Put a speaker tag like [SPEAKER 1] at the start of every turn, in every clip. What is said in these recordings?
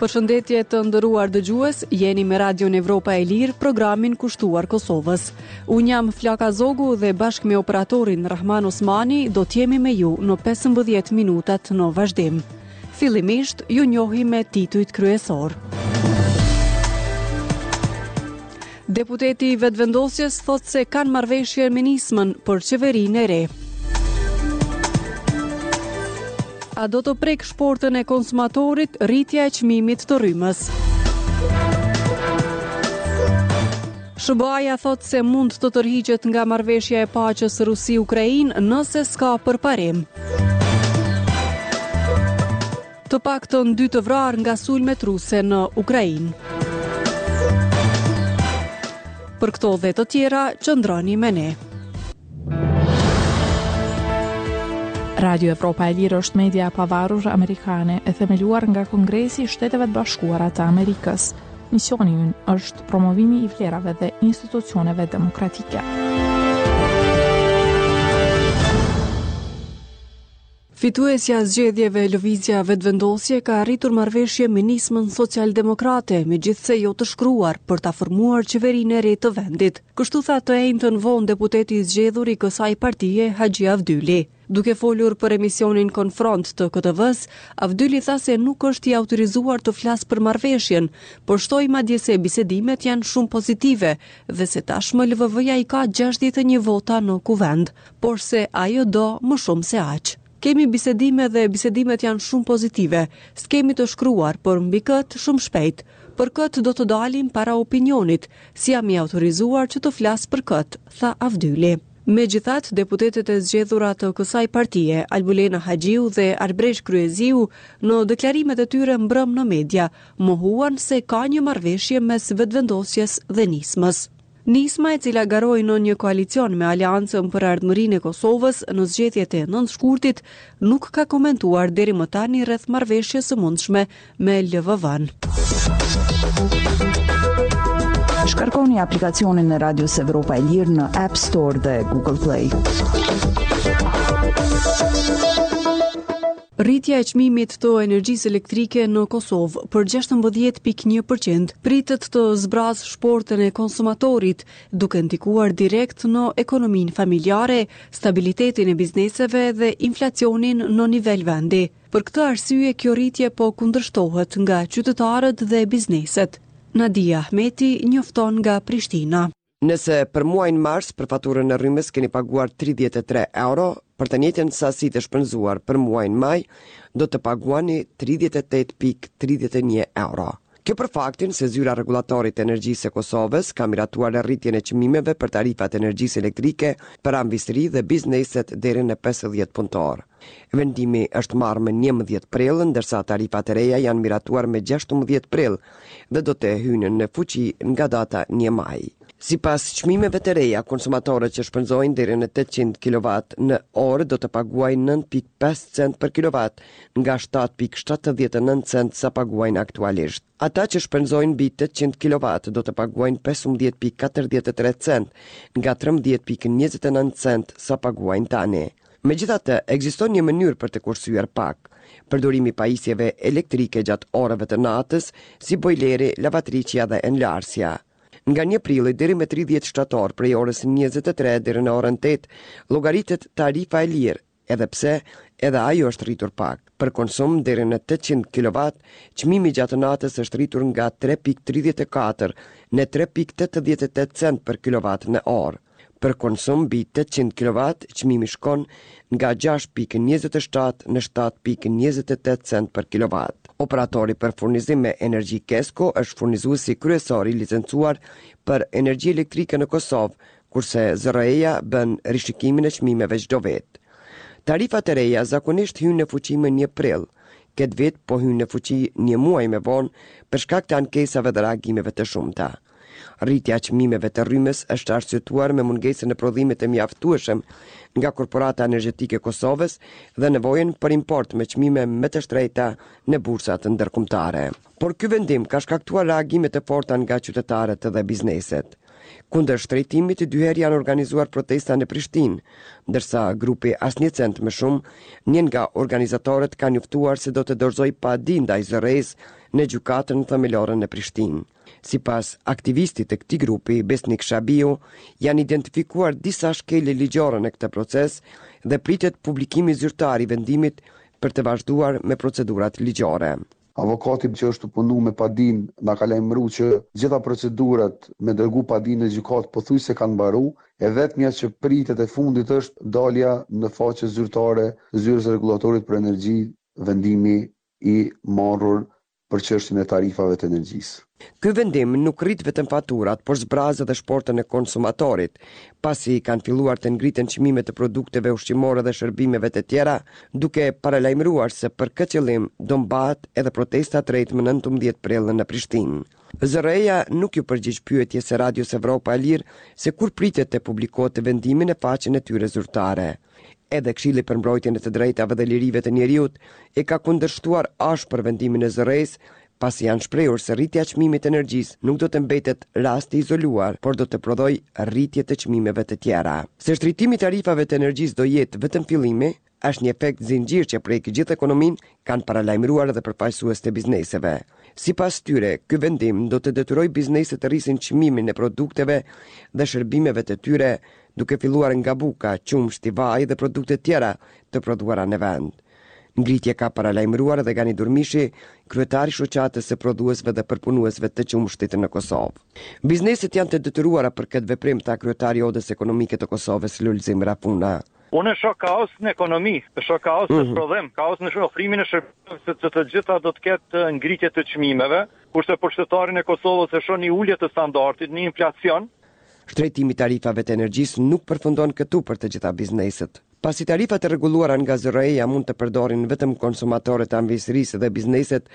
[SPEAKER 1] Përshëndetje të nderuar dëgjues, jeni me Radion Evropa e Lirë, programin kushtuar Kosovës. Unë jam Flaka Zogu dhe bashkë me operatorin Rrahman Osmani do të jemi me ju në 15 minutat në vazhdim. Fillimisht, ju njohim me titujt kryesorë. Deputeti i Vetëvendosjes thotë se kanë marrëveshje me Nismën për qeverinë e re. A do të prekë shportën e konsumatorit rritja e çmimit të rrymës? SHBA-ja thotë se mund të tërhiqet nga marrëveshja e paqes Rusi-Ukrainë nëse s'ka përparim. Të paktën dy të vrarë nga sulmet ruse në Ukrainë. Për këto dhe të tjera, qëndroni me ne.
[SPEAKER 2] Radio Evropa e Lirë është media e pavarur amerikane e themeluar nga Kongresi i Shteteve të Bashkuara të Amerikës. Misioni ynë është promovimi i vlerave dhe institucioneve demokratike.
[SPEAKER 1] Fituesja e zgjedhjeve Lëvizja Vetëvendosje ka arritur marrëveshje me Nismën Socialdemokrate, megjithëse jo të shkruar, për ta formuar qeverinë e re të vendit. Kështu tha të enjten vonë deputeti i zgjedhur i kësaj partie, Haxhi Avdyli. Duke folur për emisionin Konfront të KTV-së, Avdyli tha se nuk është i autorizuar të flasë për marrëveshjen, por shtoi madje se bisedimet janë shumë pozitive dhe se tashmë LVV-ja i ka 61 vota në Kuvend, por se ajo do më shumë se aq. Kemi bisedime dhe bisedimet janë shumë pozitive. S'kemi të shkruar, por mbi këtë shumë shpejt. Për këtë do të dalim para opinionit, s'jam i autorizuar që të flas për këtë, tha Avdyli. Megjithatë, deputetet e zgjedhura të kësaj partie, Albulena Haxhiu dhe Arbresh Kryeziu, në deklarimet e tyre mbrëmë në media, mohuan se ka një marrëveshje mes Vetëvendosjes dhe Nismës. Nisma, e cila garoi në një koalicion me Aleancën për Ardhmërinë e Kosovës në zgjedhjet e 9 shkurtit, nuk ka komentuar deri më tani rreth marrëveshjes së mundshme me
[SPEAKER 2] LVV-në. Shkarkoni aplikacionin e Radios Evropa e Lirë në App Store dhe Google Play.
[SPEAKER 1] Rritja e çmimit të energjisë elektrike në Kosovë për 16.1% pritet të zbrazë shportën e konsumatorit, duke ndikuar direkt në ekonominë familjare, stabilitetin e bizneseve dhe inflacionin në nivel vendi. Për këtë arsye kjo rritje po kundërshtohet nga qytetarët dhe bizneset. Nadia Ahmeti njofton nga Prishtina.
[SPEAKER 3] Nëse për muajin mars për faturën e rrymës keni paguar 33 euro, për të njëjtën sasi të shpenzuar për muajin maj, do të paguani 38.31 euro. Kjo për faktin se Zyra e Rregullatorit të Energjisë së Kosovës ka miratuar rritjen e çmimeve për tarifat e energjisë elektrike për amvisëri dhe bizneset deri në 50 punëtorë. Vendimi është marrë më 11 prill, ndërsa tarifat e reja janë miratuar më 16 prill dhe do të hyjnë në fuqi nga data 1 maj. Sipas çmimeve të reja, konsumatorët që shpenzojnë deri në 800 kilovat në orë do të paguajnë 9.5 cent për kilovat, nga 7.79 cent sa paguajnë aktualisht. Ata që shpenzojnë mbi 800 kilovat do të paguajnë 15.43 cent, nga 13.29 cent sa paguajnë tani. Megjithatë, ekziston një mënyrë për të kursyer pak. Përdorimi i pajisjeve elektrike gjatë orëve të natës, si bojleri, lavatriçja dhe enëlarësja. Nga 1 prilli deri më 30 shtator prej orës 23 deri në orën 8, llogaritet tarifa e lirë, edhe pse edhe ajo është rritur pak. Për konsum deri në 800 kW, çmimi gjatë natës është rritur nga 3.34 në 3.88 cent për kilovat në orë. Për konsum mbi 800 kW, çmimi shkon nga 6.27 në 7.28 cent për kilovat. Operatori për furnizim me energji KESCO është furnizuesi kryesor i licencuar për energji elektrike në Kosovë, kurse ZRRE-ja bën rishikimin e çmimeve çdo vit. Tarifat e reja zakonisht hyjnë në fuqi më 1 prill. Këtë vit po hyjnë në fuqi një muaj më vonë për shkak të ankesave dhe reagimeve të shumta. Rritja e çmimeve të rrymës është arsyetuar me mungesën e prodhimit të mjaftueshëm nga Korporata Energjetike e Kosovës dhe nevojën për import me çmime më të shtrenjta në bursat ndërkombëtare. Por ky vendim ka shkaktuar reagime të forta nga qytetarët dhe bizneset. Kundër shtrenjtimit dy herë janë organizuar protesta në Prishtinë, ndërsa grupi Asnjë Cent Më Shumë, një nga organizatorët ka njoftuar se do të dorëzojë padi ndaj ZRrE-së në Gjykatën Themelore në Prishtinë. Sipas aktivistit të këtij grupi, Besnik Shabiu, janë identifikuar disa shkelje ligjore në këtë proces dhe pritet publikimi zyrtar i vendimit për të vazhduar me procedurat ligjore.
[SPEAKER 4] Avokati që është tu punu me padinë na ka lajmëru që gjitha procedurat me dërgu padinë në gjykatë pothuajse kanë mbaru, e vetmja që pritet e fundit është dalja në faqe zyrtare të Zyrës së Rregullatorit për Energji vendimi i marrur për çështjen e tarifave të energjisë.
[SPEAKER 3] Ky vendim nuk rrit vetëm faturat, por zbraz edhe shportën e konsumatorit, pasi kanë filluar të ngriten çmimet e produkteve ushqimore dhe shërbimeve të tjera, duke paralajmëruar se për këtë qëllim do mbahet edhe protesta e tretë më 19 prill në Prishtinë. ZRrE-ja nuk iu përgjigj pyetjes së Radios Evropa e Lirë se kur pritet të publikohet vendimi në faqen e tyre zyrtare. Edhe Këshilli për Mbrojtjen e të Drejtave dhe Lirive të Njeriut e ka kundërshtuar ashpër vendimin e ZRrE-së, pasi janë shprehur se rritja e çmimit të energjisë nuk do të mbetet rast i izoluar, por do të prodhojë rritje të çmimeve të tjera. Se shtrenjtimi i tarifave të energjisë do jetë vetëm fillimi, është një efekt zinxhir që prek gjithë ekonominë, kanë paralajmëruar edhe përfaqësues të bizneseve. Sipas tyre, ky vendim do të detyrojë bizneset të rrisin çmimin e produkteve dhe shërbimeve të tyre, duke filluar nga buka, qumështi, vaji dhe produkte tjera të prodhuara në vend. Ngritje ka paralajmëruar edhe Gani Durmishi, kryetar i Shoqatës së Prodhuesve dhe Përpunuesve të Qumështit në Kosovë. Bizneset janë të detyruara për këtë veprim, tha kryetari i Odës Ekonomike të Kosovës, Lulzim Rafuna.
[SPEAKER 5] Unë shoh kaos në ekonomi, shoh kaos në mhm. prodhim, kaos në ofrimin e shërbimeve, sepse të gjitha do të ketë ngritje të çmimeve, kurse për qytetarin e Kosovës e shoh një ulje të standardit, një inflacion.
[SPEAKER 3] Shtrenjtimi i tarifave të energjisë nuk përfundon këtu për të gjitha bizneset. Pasi tarifat e rregulluara nga ZRrE-ja mund të përdorin vetëm konsumatorët e amvisërisë dhe bizneset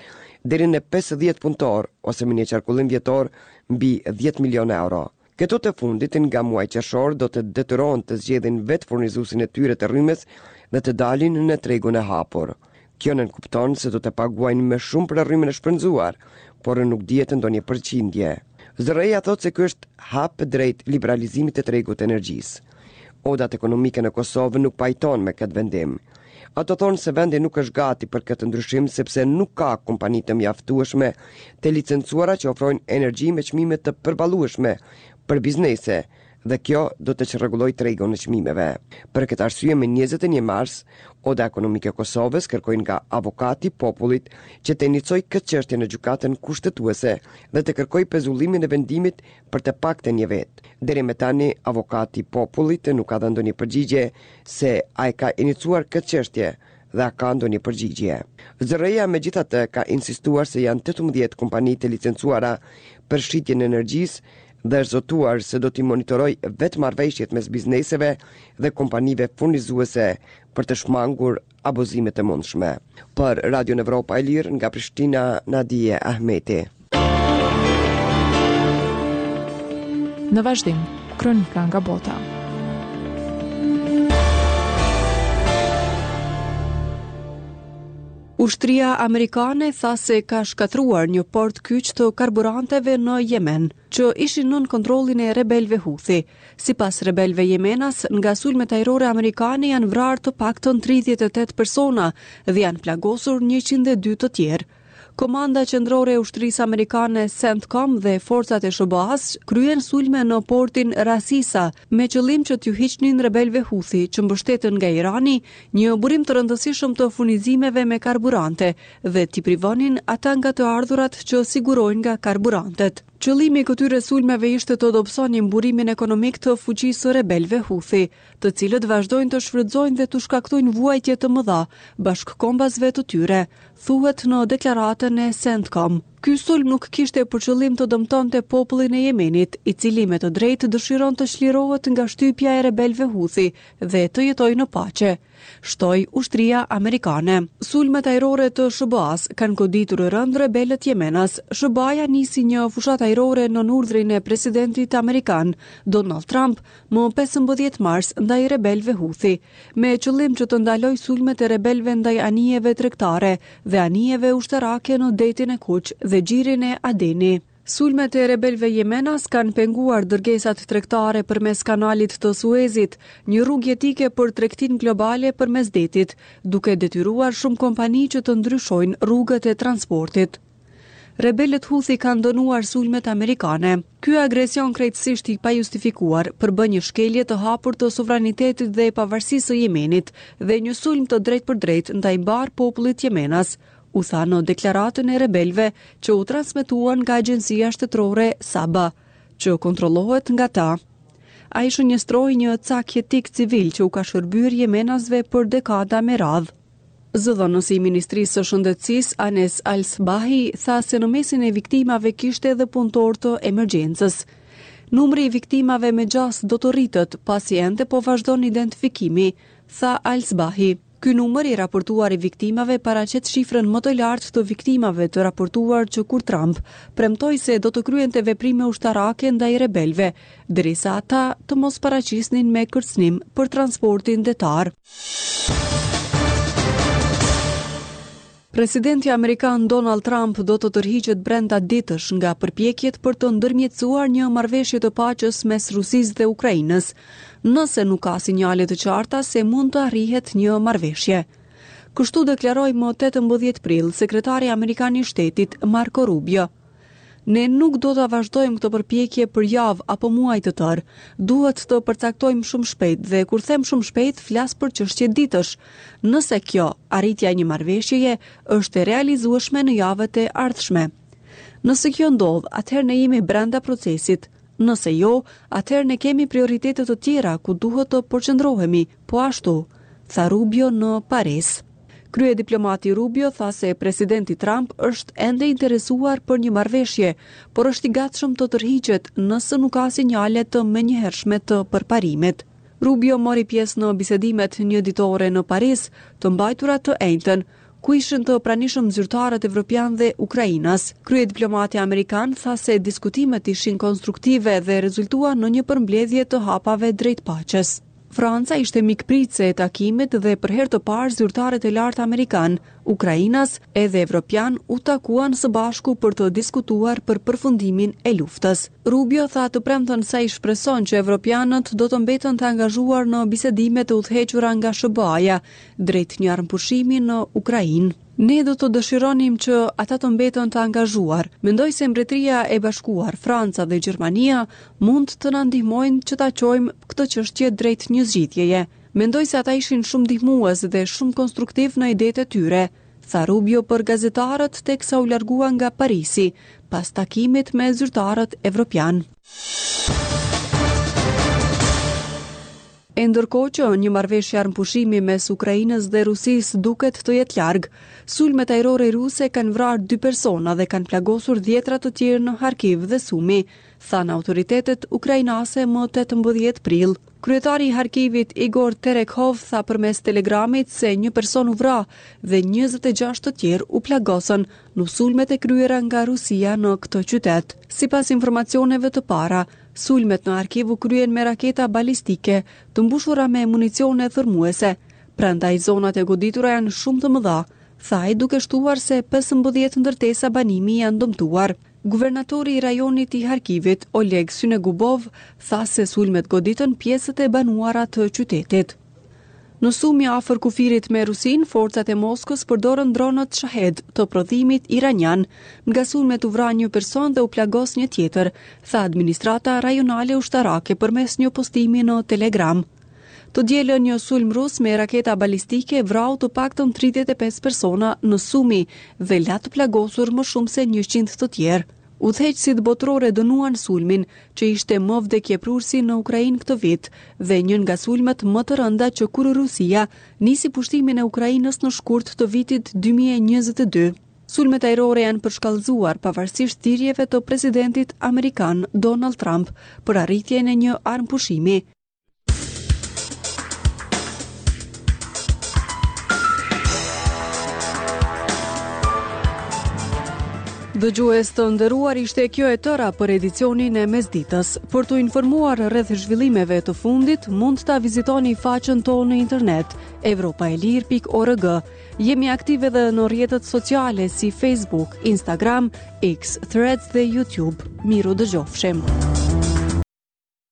[SPEAKER 3] deri në 50 punëtorë ose me një qarkullim vjetor mbi 10 milionë euro. Këto të fundit nga muaji qershor do të detyrohen të zgjedhin vetë furnizuesin e tyre të rrymës dhe të dalin në tregun e hapur. Kjo nënkupton se do të paguajnë më shumë për rrymën e shpenzuar, por nuk dihet ndonjë përqindje. ZRrE-ja thotë se ky është hap drejt liberalizimit të tregut të energjisë. Odat ekonomike në Kosovë nuk pajtohen me këtë vendim. Ato thonë se vendi nuk është gati për këtë ndryshim sepse nuk ka kompani të mjaftueshme të licencuara që ofrojnë energji me çmime të përballueshme për biznese dhe kjo do të çrregullojë tregun e çmimeve. Për këtë arsye më 21 mars, Oda Ekonomike e Kosovës kërkoi nga Avokati i Popullit që të inicojë këtë çështje në Gjykatën Kushtetuese dhe të kërkojë pezullimin e vendimit për të paktën një vit. Deri më tani, Avokati i Popullit nuk ka dhënë ndonjë përgjigje se a e ka inicuar këtë çështje dhe a ka ndonjë përgjigje. ZRrE-ja megjithatë ka insistuar se janë 18 kompani të licencuara për shitjen e energjisë dhe është zotuar se do t'i monitorojë vetë marrëveshjet mes bizneseve dhe kompanive furnizuese për të shmangur abuzimet e mundshme. Për Radion Evropa e Lirë nga Prishtina, Nadije Ahmeti.
[SPEAKER 2] Në vazhdim, kronika nga bota.
[SPEAKER 1] Ushtria amerikane tha se ka shkatërruar një port kyç të karburanteve në Jemen, që ishin nën kontrollin e rebelëve Houthi. Sipas rebelëve jemenas, nga sulmet ajrore amerikane janë vrarë të paktën 38 persona dhe janë plagosur 102 të tjerë. Komanda Qendrore e Ushtrisë Amerikane CENTCOM dhe forcat e SHBA-së kryen sulme në portin Ras Isa me qëllim që t'ju hiqnin rebelëve Houthi, që mbështeten nga Irani, një burim të rëndësishëm të furnizimeve me karburante dhe t'i privonin ata nga të ardhurat që sigurojnë nga karburantet. Qëllimi i këtyre sulmeve ishte të dobësonin burimin ekonomik të fuqisë së rebelëve Houthi, të cilët vazhdojnë të shfrytëzojnë dhe t'u shkaktojnë vuajtje të mëdha bashkëkombasve të tyre, thuhet në deklaratën e CENTCOM. Ky sulm nuk kishte për qëllim të dëmtonte popullin e Jemenit, i cili me të drejtë dëshiron të çlirohet nga shtypja e rebelëve Houthi dhe të jetojë në paqe. shtoi ushtria amerikane. Sulmet ajrore të SHBA-së kanë goditur rëndë rebelët jemenas. SHBA-ja nisi një fushatë ajrore nën urdhrin e presidentit amerikan, Donald Trump, më 15 mars ndaj rebelëve Houthi, me qëllim që të ndalojë sulmet e rebelëve ndaj anijeve tregtare dhe anijeve ushtarake në Detin e Kuq dhe Gjirin e Adeni. Sulmet e rebelëve jemenas kanë penguar dërgesat tregtare përmes Kanalit të Suezit, një rrugë jetike për tregtinë globale përmes detit, duke detyruar shumë kompani që të ndryshojnë rrugët e transportit. Rebelët Huthi kanë dënuar sulmet amerikane. Ky agresion krejtësisht i pajustifikuar përbën një shkelje të hapur të sovranitetit dhe pavarësisë së Jemenit dhe një sulm të drejtpërdrejtë ndaj mbarë popullit jemenas, u tha në deklaratën e rebelëve që u transmetua nga agjencia shtetërore Saba, që kontrollohet nga ta. Ai shënjestroi një cak jetik civil që u ka shërbyer jemenasve për dekada me radhë. Zëdhënësi i Ministrisë së Shëndetësisë, Anes Al-Sbahi, tha se në mesin e viktimave kishte edhe punëtorë të emergjencës. Numri i viktimave me gjasë do të rritet, pasi ende po vazhdon identifikimi, tha Al-Sbahi. Ky numër i raportuar i viktimave paraqet shifrën më të lartë të viktimave të raportuar që kur Trump premtoi se do të kryente veprime ushtarake ndaj rebelëve, derisa ata të mos paraqisnin me kërcënim për transportin detar. Presidenti amerikan Donald Trump do të tërhiqet brenda ditësh nga përpjekjet për të ndërmjetësuar një marrëveshje të paqes mes Rusisë dhe Ukrainës, nëse nuk ka sinjale të qarta se mund të arrihet një marrëveshje. Kështu deklaroi më 18 prill sekretari amerikan i shtetit Marco Rubio. Ne nuk do ta vazhdojmë këtë përpjekje për javë apo muaj të tërë. Duhet të përcaktojmë shumë shpejt dhe kur them shumë shpejt flas për çështje ditësh. Nëse kjo, arritja e një marrëveshjeje, është e realizueshme në javët e ardhshme. Nëse kjo ndodh, atëherë ne jemi brenda procesit. Nëse jo, atëherë ne kemi prioritete të tjera ku duhet të përqendrohemi, po ashtu, tha Rubio në Paris. Kryediplomati Rubio tha se presidenti Trump është ende i interesuar për një marrëveshje, por është i gatshëm të tërhiqet nëse nuk ka sinjale të menjëhershme të përparimit. Rubio mori pjesë në bisedimet njëditore në Paris, të mbajtura të enjten, ku ishin të pranishëm zyrtarët evropianë dhe ukrainas. Kryediplomati amerikan tha se diskutimet ishin konstruktive dhe rezultuan në një përmbledhje të hapave drejt paqes. Franca ishte mikpritëse e takimit dhe për herë të parë zyrtarët e lartë amerikanë, ukrainas edhe evropianë u takuan së bashku për të diskutuar për përfundimin e luftës. Rubio tha të premten se ai shpreson që evropianët do të mbeten të angazhuar në bisedimet e udhëhequra nga SHBA-ja drejt një armëpushimi në Ukrainë. Ne do të dëshironim që ata të mbeten të angazhuar. Mendoj se Mbretëria e Bashkuar, Franca dhe Gjermania mund të na ndihmojnë që ta çojmë këtë çështje drejt një zgjidhjeje. Mendoj se ata ishin shumë ndihmues dhe shumë konstruktivë në idetë e tyre, tha Rubio për gazetarët teksa u largua nga Parisi, pas takimit me zyrtarët evropianë. E ndërkohë që një marrëveshje armëpushimi mes Ukrainës dhe Rusisë duket të jetë larg, sulmet ajrore ruse kanë vrarë dy persona dhe kanë plagosur dhjetra të tjerë në Harkiv dhe Sumi, thanë autoritetet ukrainase më 18 prill. Kryetari i Harkivit, Igor Terekhov, tha përmes Telegramit se një person u vra dhe 26 të tjerë u plagosën në sulmet e kryera nga Rusia në këtë qytet. Sipas informacioneve të para, Sulmet në Harkiv u kryen me raketa balistike të mbushura me municione thërrmuese, prandaj zonat e goditura janë shumë të mëdha, tha ai duke shtuar se 15 ndërtesa banimi janë dëmtuar. Guvernatori i rajonit i Harkivit, Oleg Synegubov, tha se sulmet goditën pjesët e banuara të qytetit. Në Sumi afër kufirit me Rusinë, forcat e Moskës përdorën dronët Shahed të prodhimit iranian. Nga sulmet u vra një person dhe u plagos një tjetër, tha administrata rajonale ushtarake përmes një postimi në Telegram. Të dielën një sulm rus me raketa balistike vrau të paktën 35 persona në Sumi dhe la të plagosur më shumë se 100 të tjerë. Udhëheqësit botërorë e dënuan sulmin, që ishte më vdekjeprurësi në Ukrainë këtë vit dhe një nga sulmet më të rënda që kur Rusia nisi pushtimin e Ukrainës në shkurt të vitit 2022. Sulmet ajrore janë përshkallëzuar pavarësisht thirrjeve të presidentit amerikan Donald Trump për arritjen e një armëpushimi. Dëgjues të nderuar ishte kjo e tëra për edicionin e mesditës. Për t'u informuar rreth zhvillimeve të fundit, mund ta vizitoni faqen tonë në internet evropaelire.org. Jemi aktivë edhe në rrjetet sociale si Facebook, Instagram, X, Threads dhe YouTube. Mirudëgjofshim.